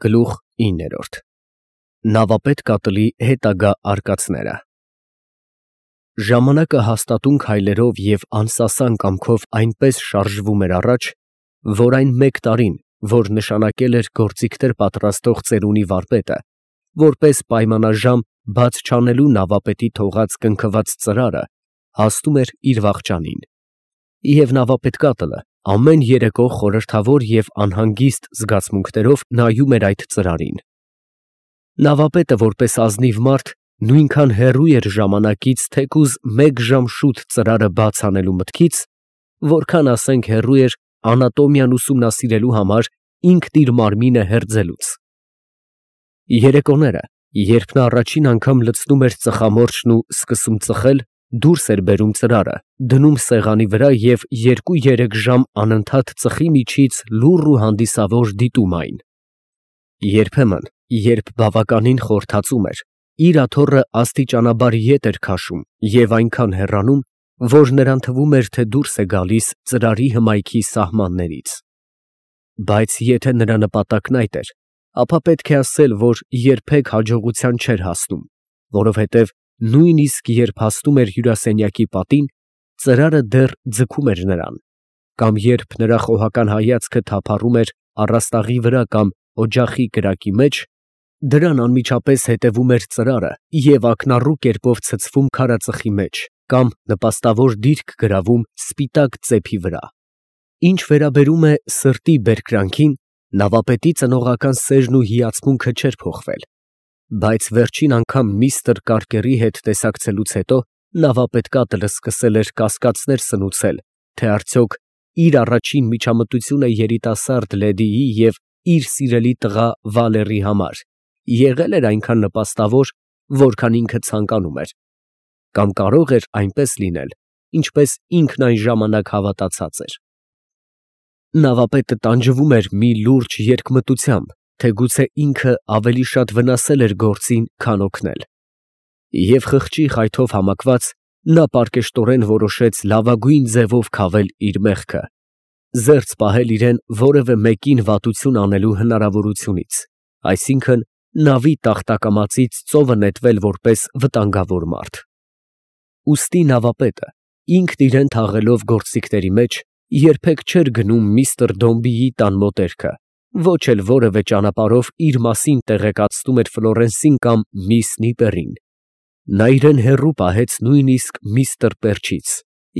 Գլուխ 9 Նավապետ կատլի հետագա արկածները Ժամանակը հաստատուն քայլերով և անսասան կամքով այնպես շարժվում էր առաջ, որ այն մեկ տարին, որ նշանակել էր գործիքներ պատրաստող ծերունի վարպետը, որպես պայմանաժամ բաց չանելու նավապետի թողած կնքված ծրարը, հասնում էր իր վախճանին, և նավապետ կատլը ամեն երեկո խորհրդավոր և անհանգիստ զգացմունքներով նայում էր այդ ծրարին։ Նավապետը, որպես ազնիվ մարդ, նույնքան հեռու էր ժամանակից թեկուզ մեկ ժամ շուտ ծրարը բաց անելու մտքից, որքան, ասենք, հեռու էր անատոմիան ուսումնասիրելու համար ինքն իր մարմինը հերձելուց։ Երեկոները, երբ նա առաջին անգամ լցնում էր ծխամորճն ու սկսում ծխել, դուրս էր բերում ծրարը, դնում սեղանի վրա և 2-3 ժամ անընդհատ ծխի միջից լուռ ու հանդիսավոր դիտում այն։ Երբեմն, երբ բավականին խորթացում էր, իր աթոռը աստիճանաբար ետ էր քաշում և այնքան հեռանում, որ նրան թվում էր, թե դուրս է գալիս ծրարի հմայքի սահմաններից։ Բայց եթե նրա նպատակն այդ էր, ապա պետք է ասել, որ երբեք հաջողության չէր հասնում, որովհետև նույնիսկ երբ հասնում էր հյուրասենյակի պատին, ծրարը դեռ ձգում էր նրան, կամ երբ նրա խոհական հայացքը թափառում էր առաստաղի վրա կամ օջախի կրակի մեջ, դրան անմիջապես հետևում էր ծրարը և ակնառու կերպով ցցվում քարածխի մեջ կամ նպաստավոր դիրք գրավում սպիտակ ծեփի վրա։ Ինչ վերաբերում է սրտի բերկրանքին, նավապետի ծնողական սերն ու հիացմունքը չէր փոխվել, բայց վերջին անգամ միստր Կարկերի հետ տեսակցելուց հետո նավապետ կատլը սկսել էր կասկածներ սնուցել, թե արդյոք իր առաջին միջամտությունը երիտասարդ լեդիի և իր սիրելի տղա Վալերի համար եղել էր այնքան նպաստավոր, որքան ինքը ցանկանում էր, կամ կարող էր այնպես լինել, ինչպես ինքն այն ժամանակ հավատացած էր։ Նավապետը տանջվում էր մի լուրջ երկմտությամբ, թե գուցե ինքը ավելի շատ վնասել էր գործին, քան օգնել, և խղճի խայթով համակված նա պարկեշտորեն որոշեց լավագույն ձևով քավել իր մեղքը, զերծ պահել իրեն որևէ մեկին վատություն անելու հնարավորությունից, այսինքն նավի տախտակամածից ծովը նետվել որպես վտանգավոր մարդ։ Ուստի նավապետը, ինքն իրեն թաղելով գործիքների մեջ, երբեք չէր գնում միստր Դոմբիի տան մոտերքը, ոչ էլ որևէ ճանապարհով իր մասին տեղեկացնում էր Ֆլորենսին կամ միս Նիպերին։ Նա իրեն հեռու պահեց նույնիսկ միստր Պերչից,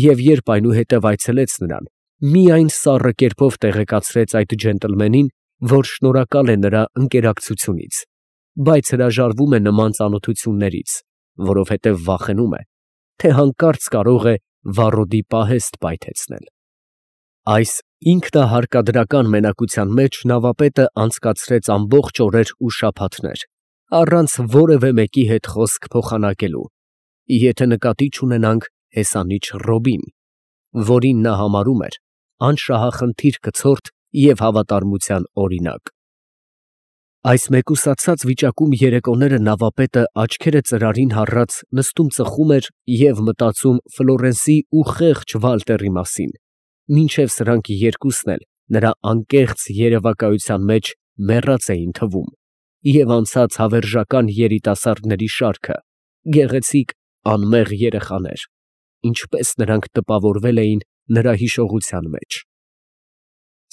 և երբ այնուհետև այցելեց նրան, միայն սառը կերպով տեղեկացրեց այդ ջենտլմենին, որ շնորհակալ է նրա ընկերակցությունից, բայց հրաժարվում է նման ծանոթություններից, որովհետև վախենում է, թե հանկարծ կարող է վառոդի պահեստ պայթեցնել։ Այս ինքնահարկադրական մենակության մեջ նավապետը անցկացրեց ամբողջ օրեր ու շաբաթներ, առանց որևէ մեկի հետ խոսք փոխանակելու, եթե նկատի չունենանք հեսանիչ Ռոբին, որին նա համարում էր անշահախնդիր կցորդ և հավատարմության օրինակ։ Այս մեկուսացած վիճակում երեկոները նավապետը աչքերը ծրարին հառած նստում ծխում էր և մտածում Ֆլորենսի ու խեղճ Վալտերի մասին, մինչև սրանք երկուսն էլ նրա անկեղծ երևակայության մեջ մեռած էին թվում, և անցած հավերժական երիտասարդների շարքը, գեղեցիկ, անմեղ երեխաներ, ինչպես նրանք տպավորվել էին նրա հիշողության մեջ։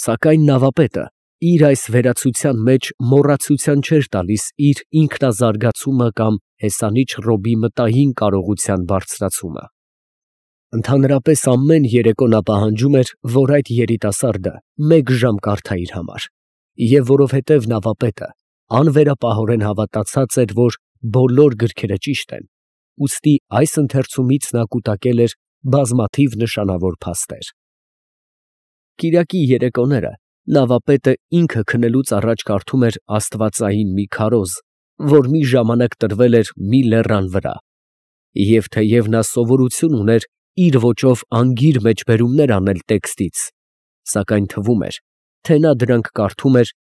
Սակայն նավապետը իր այս վերացության մեջ մոռացության չէր տալիս իր ինքնազարգացումը կամ հեսանիչ Ռոբի մտային կարողության բարձրացումը։ Ընդհանրապես ամեն երեկո նա պահանջում էր, որ այդ երիտասարդը մեկ ժամ կարդա իր համար, և որովհետև նավապետը անվերապահորեն հավատացած էր, որ բոլոր գրքերը ճիշտ են, ուստի այս ընթերցումից նա կուտակել էր բազմաթիվ նշանավոր փաստեր։ Կիրակի երեկոները նավապետը ինքը քնելուց առաջ կարդում էր աստվածային մի քարոզ, որ մի ժամանակ տրվել էր մի լեռան վրա, և թեև նա սովորություն ուներ իր ոճով անգիր մեջբերումներ անել տեքստից, սակայն թվում էր, թե նա դրանք կարդում էր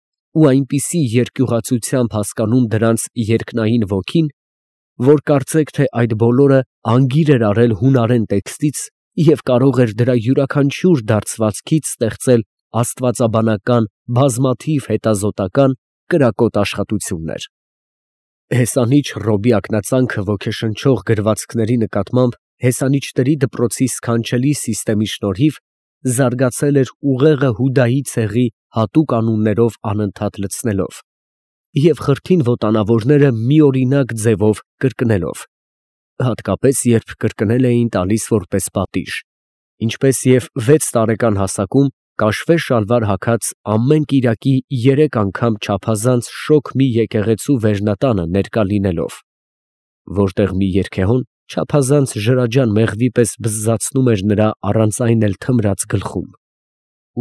ու այնպիսի երկյուղացությամբ հասկանում դրանց երկնային ոգին, որ կարծեք, թե այդ բոլորը անգիր էր արել հունարեն տեքստից և կարող էր դրա յուրաքանչյուր դարձվածքից ստեղծել աստվածաբանական բազմաթիվ հետազոտական կրակոտ աշխատություններ։ Հեսանիչ Ռոբի ակնածանքը ոգեշնչող գրվածքների նկատմամբ Հեսանիչների դպրոցի սքանչելի սիստեմի շնորհիվ զարգացել էր ուղեղը Հուդայի ցեղի հատուկ անուններով անընդհատ լցնելով և խրթին ոտանավորները միօրինակ ձևով կրկնելով, հատկապես երբ կրկնել էին տալիս որպես պատիժ, ինչպես և 6 տարեկան հասակում կաշվե շալվար հագած ամեն կիրակի 3 անգամ չափազանց շոգ մի եկեղեցու վերնատանը ներկա լինելով, որտեղ մի երգեհոն չափազանց ջրաջան մեղվի պես բզզացնում էր նրա առանց այն էլ թմրած գլխում։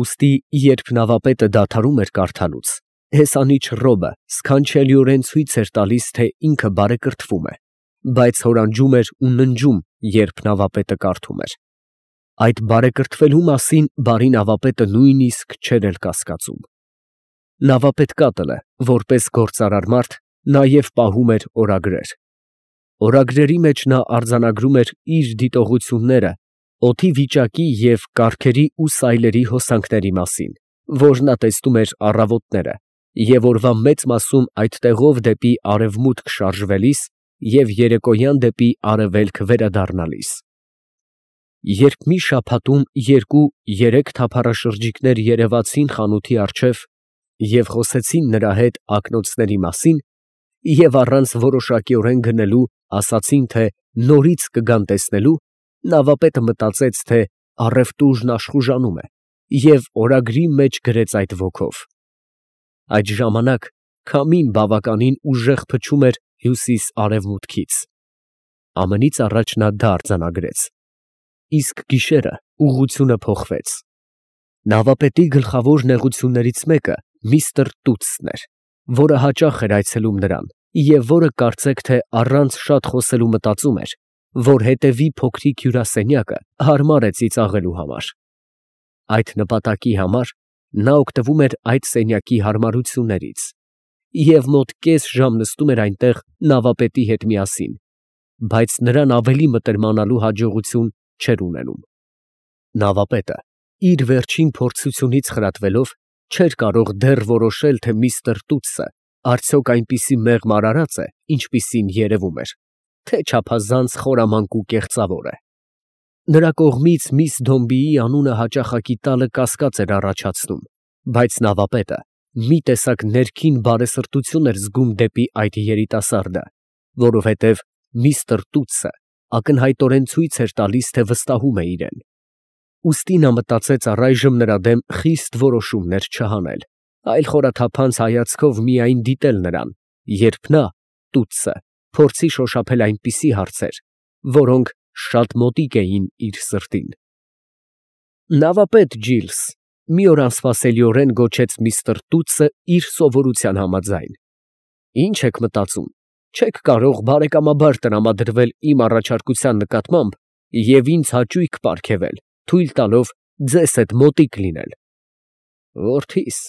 Ուստի, երբ նավապետը դադարում էր կարդալուց, հեսանիչ Ռոբը սքանչելիորեն ցույց էր տալիս, թե ինքը բարեկրթվում է, բայց հորանջում էր ու ննջում, երբ նավապետը կարդում էր։ Այդ բարեկրթվելու մասին բարի նավապետը նույնիսկ չէր էլ կասկածում։ Նավապետ Կատլը, որպես գործարար մարդ, նաև պահում էր օրագրեր։ Օրագրերի մեջ նա արձանագրում էր իր դիտողությունները օդի վիճակի և կառքերի ու սայլերի հոսանքների մասին, որ նա տեսնում էր առավոտները և օրվա մեծ մասում այդ տեղով դեպի արևմուտք շարժվելիս և երեկոյան դեպի արևելք վերադառնալիս։ Երբ մի շաբաթում 2-3 թափառաշրջիկներ երևացին խանութի առջև և խոսեցին նրա հետ ակնոցների մասին և առանց որոշակիորեն գնելու ասացին, թե նորից կգան տեսնելու, նավապետը մտածեց, թե առևտուրն աշխուժանում է և օրագրի մեջ գրեց այդ ոգով։ Այդ ժամանակ քամին բավականին ուժեղ փչում էր հյուսիս֊արևմուտքից։ Ամենից առաջ նա դա արձանագրեց, իսկ գիշերը ուղղությունը փոխվեց։ Նավապետի գլխավոր նեղություններից մեկը միստր Տուտսն էր, որը հաճախ էր այցելում նրան և որը կարծեք թե առանց շատ խոսելու մտածում էր, որ հետևի փոքրիկ հյուրասենյակը հարմար է ծիծաղելու համար։ Այդ նպատակի համար նա օգտվում էր այդ սենյակի հարմարություններից և մոտ կես ժամ նստում էր այնտեղ նավապետի հետ միասին, բայց նրան ավելի մտերմանալու հաջողություն չէր ունենում։ Նավապետը, իր վերջին փորձությունից խրատվելով, չէր կարող դեռ որոշել, թե միստր Տուտսը արդյոք այնպիսի մեղմ արարած է, ինչպիսին երևում էր, թե չափազանց խորամանկ ու կեղծավոր է։ Նրա կողմից միս Դոմբիի անունը հաճախակի տալը կասկած էր առաջացնում, բայց նավապետը մի տեսակ ներքին բարեսրտություն էր զգում դեպի այդ երիտասարդը, որովհետև միստր Տուտսը ակնհայտորեն ցույց էր տալիս, թե վստահում է իրեն։ Ուստի նա մտածեց առայժմ նրա դեմ խիստ որոշումներ չհանել, այլ խորաթափանց հայացքով միայն դիտել նրան, երբ նա, Տուտսը, փորձի շոշափել այնպիսի հարցեր, որոնք շատ մոտիկ էին իր սրտին։ Նավապետ Ջիլս, մի օր անսպասելիորեն գոչեց միստր Տուտսը իր սովորության համաձայն։ Ի՞նչ եք մտածում, չեք կարող բարեկամաբար տրամադրվել իմ առաջարկության նկատմամբ և ինձ հաճույք պարգևել, թույլ տալով ձեզ հետ մոտիկ լինել։ Որդիս,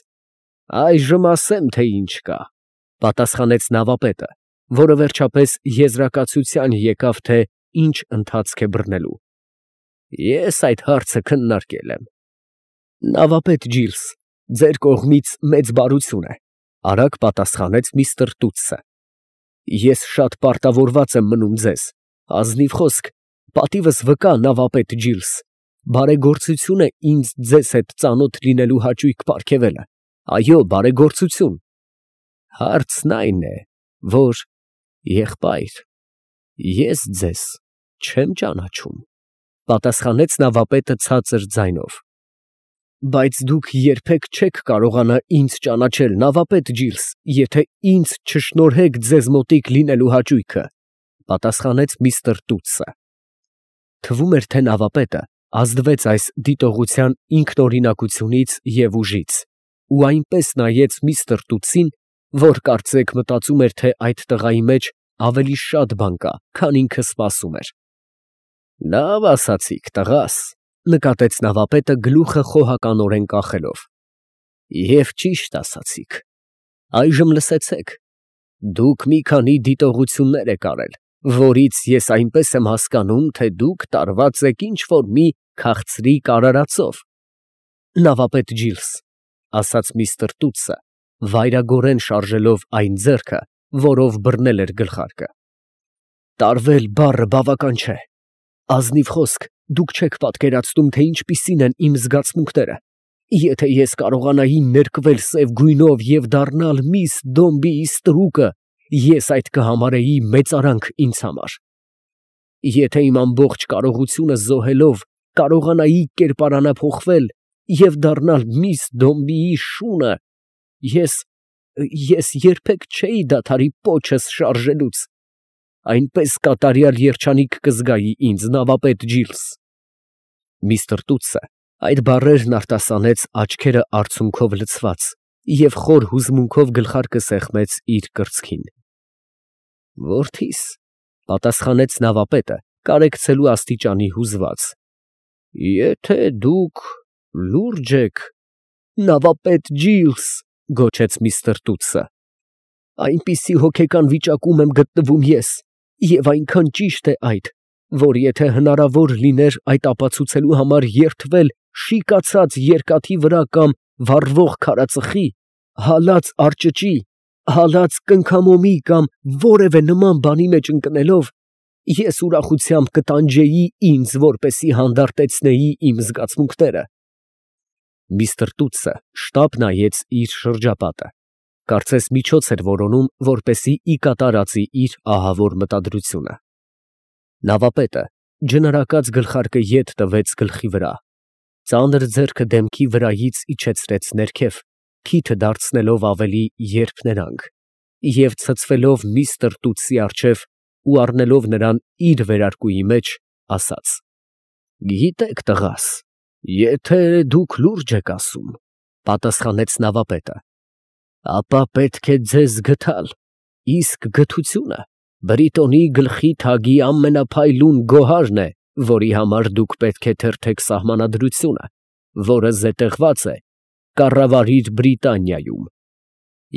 այժմ ասեմ, թե ինչ կա, պատասխանեց նավապետը, որը վերջապես եզրակացության եկավ, թե ինչ ընթացք է բռնելու։ Ես այդ հարցը քննարկել եմ։ Նավապետ Ջիլս, ձեր կողմից մեծ բարություն է, արագ պատասխանեց միստր Տուտսը։ Ես շատ պարտավորված եմ մնում ձեզ, ազնիվ խոսք, պատիվս վկա, նավապետ Ջիլս, բարեգործություն է ինձ ձեզ հետ ծանոթ լինելու հաճույք պարգևելը, այո, բարեգործություն։ Հարցն այն է, որ, եղբայր, ես ձեզ չեմ ճանաչում, պատասխանեց նավապետը ցածր ձայնով։ Բայց դուք երբեք չեք կարողանա ինձ ճանաչել, նավապետ Ջիլս, եթե ինձ չշնորհեք ձեզ մոտիկ լինելու հաճույքը, պատասխանեց միստր Տուտսը։ Թվում էր, թե նավապետը ազդվեց այս դիտողության ինքնօրինակությունից և ուժից, ու այնպես նայեց միստր Տուտսին, որ կարծեք մտածում էր, թե այդ տղայի մեջ ավելի շատ բան կա, քան ինքը սպասում էր։ Լավ ասացիք, տղաս, նկատեց նավապետը գլուխը խոհականորեն կախելով։ Եվ ճիշտ ասացիք։ Այժմ լսեցեք, դուք մի քանի դիտողություններ եք արել, որից ես այնպես եմ հասկանում, թե դուք տարված եք ինչ-որ մի քաղցրիկ արարածով։ Նավապետ Ջիլս, ասաց միստր Տուտսը, վայրագորեն շարժելով այն ձեռքը, որով բռնել էր գլխարկը։ Տարվել բառը բավական չէ։ Ազնիվ խոսք, դուք չեք պատկերացնում, թե ինչպիսին են իմ զգացմունքները։ Եթե ես կարողանայի ներկվել սև գույնով և դառնալ միս Դոմբիի ստրուկը, ես այդ կհամարեի մեծարանք ինձ համար։ Եթե իմ ամբողջ կարողությունը զոհելով կարողանայի կերպարանափոխվել և դառնալ միս Դոմբիի շունը, ես երբեք չէի դադարի պոչս շարժելուց։ Այնպես կատարյալ երջանիկ կզգայի ինձ, նավապետ Ջիլս։ Միսթր Տուտսը այդ բառերն արտասանեց աչքերը արցունքով լցված և խոր հուզմունքով գլխարկը սեղմեց իր կրծքին։ Որդիս, պատասխանեց նավապետը, կարեկցելու աստիճանի հուզված, եթե դուք լուրջ եք, նավապետ Ջիլս, գոչեց միսթր Տուտսը, այնպիսի հոգեկան վիճակում եմ գտնվում ես, և այնքան ճիշտ է այդ, որ եթե հնարավոր լիներ այդ ապացուցելու համար երդվել շիկացած երկաթի վրա կամ վառվող քարածխի, հալած արճճի, հալած կնքամոմի կամ որևէ նման բանի մեջ ընկնելով, ես ուրախությամբ կտանջեի ինձ, որպեսզի հանդարտեցնեի իմ զգացմունքները։ Միսթր Տուտսը շտապ նայեց իր շրջապատը, կարծես միջոց էր որոնում, որպեսզի ի կատար ածի իր ահավոր մտադրությունը։ Նավապետը ջնարակած գլխարկը ետ տվեց գլխի վրա, ծանր ձեռքը դեմքի վրայից իջեցրեց ներքև, քիթը դարձնելով ավելի երփներանգ, և ցցվելով միսթր Տուտսի առջև ու առնելով նրան իր վերարկուի մեջ, ասաց. «Գիտեք, տղաս, եթե դուք լուրջ եք ասում, պատասխանեց նավապետը, ապա պետք է ձեզ գթալ, իսկ գթությունը Բրիտոնի գլխի թագի ամենափայլուն գոհարն է, որի համար դուք պետք է թերթեք սահմանադրությունը, որը զետեղված է կառավարիր Բրիտանիայում,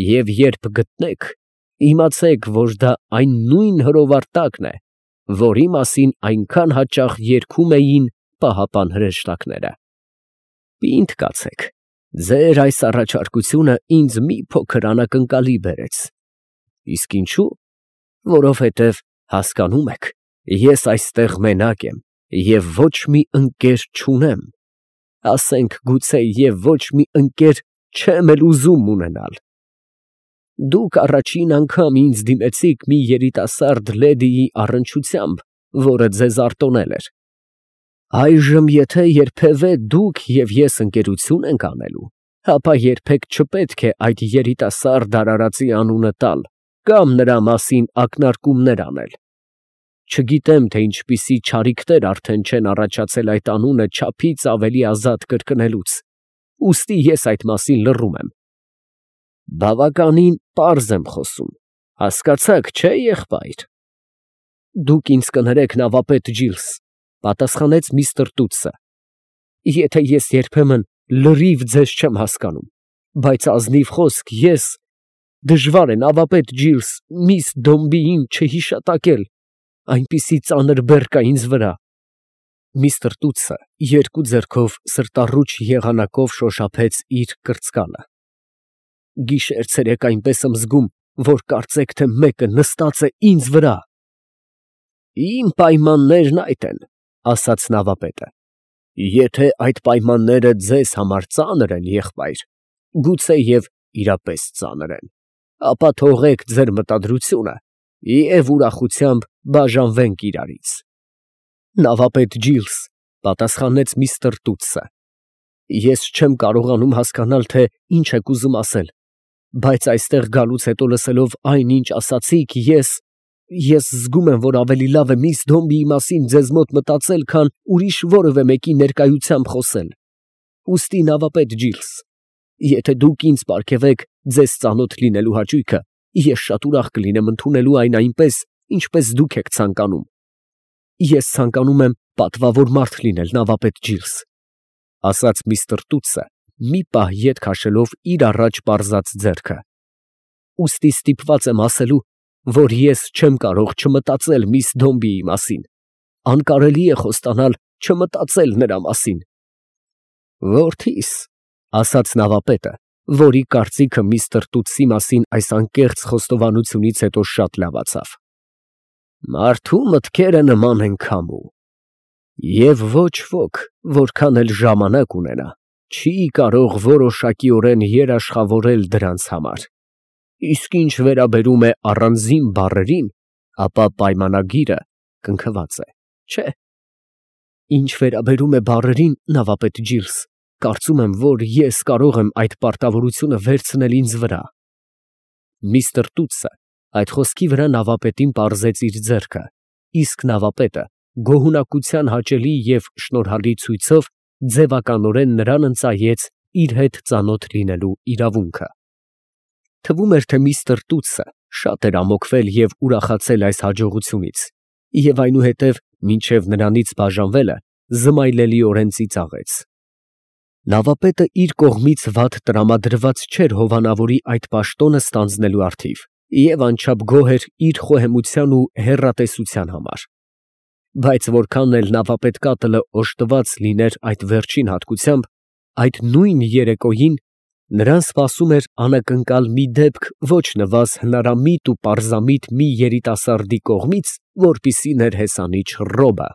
և երբ գտնեք, իմացեք, որ դա այն նույն հրովարտակն է, որի մասին այնքան հաճախ երգում էին պահապան հրեշտակները։ Պինդ կացեք, ձեր այս առաջարկությունը ինձ մի փոքր անակնկալի բերեց։ Իսկ ինչու՞։ Որովհետև, հասկանում եք, ես այստեղ մենակ եմ և ոչ մի ընկեր չունեմ, ասենք գուցե և ոչ մի ընկեր չեմ էլ ուզում ունենալ։ Դուք առաջին անգամ ինձ դիմեցիք մի երիտասարդ լեդիի առնչությամբ, որը ձեզ արտոնել էր։ Այժմ եթե երբևէ դուք և ես ընկերություն ենք անելու, ապա երբեք չպետք է այդ երիտասարդ արարածի անունը տալ կամ նրա մասին ակնարկումներ անել։ Չգիտեմ, թե ինչպիսի չարիքներ արդեն չեն առաջացել այդ անունը չափից ավելի ազատ կրկնելուց, ուստի ես այդ մասին լռում եմ։ Բավականին պարզ եմ խոսում, հասկացաք, չէ՞, եղբայր։ Դուք ինձ կներեք, նավապետ Ջիլս, պատասխանեց միսթր Տուտսը, եթե ես երբեմն լրիվ ձեզ չեմ հասկանում, բայց ազնիվ խոսք, ես դժվար է, նավապետ Ջիլս, միս Դոմբիին չհիշատակել, այնպիսի ծանր բեռ կա ինձ վրա։ Միսթր Տուտսը երկու ձեռքով սրտառուչ եղանակով շոշափեց իր կրծկանը։ Գիշեր֊ցերեկ այնպես եմ զգում, որ կարծեք թե մեկը նստած է ինձ վրա։ Իմ պայմաններն այդ են, ասաց նավապետը, եթե այդ պայմանները ձեզ համար ծանր են, եղբայր, գուցեև իրապես ծանր են, ապա թողեք ձեր մտադրությունը և ուրախությամբ բաժանվենք իրարից։ Նավապետ Ջիլս, պատասխանեց միսթր Տուտսը, ես չեմ կարողանում հասկանալ, թե ինչ եք ուզում ասել, բայց այստեղ գալուց հետո լսելով այն, ինչ ասացիք, ես զգում եմ, որ ավելի լավ է միս Դոմբիի մասին ձեզ մոտ մտածել, քան ուրիշ որևէ մեկի ներկայությամբ խոսել։ Ուստի, նավապետ Ջիլս, եթե դուք ինձ պարգևեք ձեզ ծանոթ լինելու հաճույքը, ես շատ ուրախ կլինեմ ընդունելու այն այնպես, ինչպես դուք եք ցանկանում։ Ես ցանկանում եմ պատվավոր մարդ լինել, նավապետ Ջիլս, ասաց միսթր Տուտսը, մի պահ ետ քաշելով իր առաջ պարզած ձեռքը։ Ուստի ստիպված եմ ասելու, որ ես չեմ կարող չմտածել միս Դոմբիի մասին, անկարելի է խոստանալ չմտածել նրա մասին։ Որդիս, ասաց նավապետը, որի կարծիքը միստր Տուտսի մասին այս անկեղծ խոստովանությունից հետո շատ լավացավ։ Մարդու մտքերը նման են քամու, և ոչ ոք, որքան էլ ժամանակ ունենա, չի կարող որոշակիորեն երաշխավորել դրանց համար, իսկ ինչ վերաբերում է առանձին բառերին, ապա պայմանագիրը կնքված է, չէ՞։ Ինչ վերաբերում է բառերին, նավապետ Ջիլս, կարծում եմ, որ ես կարող եմ այդ պարտավորությունը վերցնել ինձ վրա։ Միստր Տուտսը այդ խոսքի վրա նավապետին պարզեց իր ձեռքը, իսկ նավապետը գոհունակության հաճելի և շնորհալի ցույցով ձևականորեն նրան ընծայեց իր հետ ծանոթ լինելու իրավունքը։ Թվում էր, թե միստր Տուտսը շատ էր ամոքվել և ուրախացել այս հաջողությունից, և այնուհետև մինչև նրանից բաժանվելը զմայլելիորեն ծիծաղեց։ Նավապետը իր կողմից վատ տրամադրված չէր հովանավորի այդ պաշտոնը ստանձնելու առթիվ և անչափ գոհ էր իր խոհեմության ու հեռատեսության համար, բայց որքան էլ նավապետ Կատլը օժտված լիներ այդ վերջին հատկությամբ, այդ նույն երեկոյին նրան սպասում էր անակնկալ մի դեպք ոչ նվազ հնարամիտ ու պարզամիտ մի երիտասարդի կողմից, որպիսի ներհեսանիչ Ռոբը։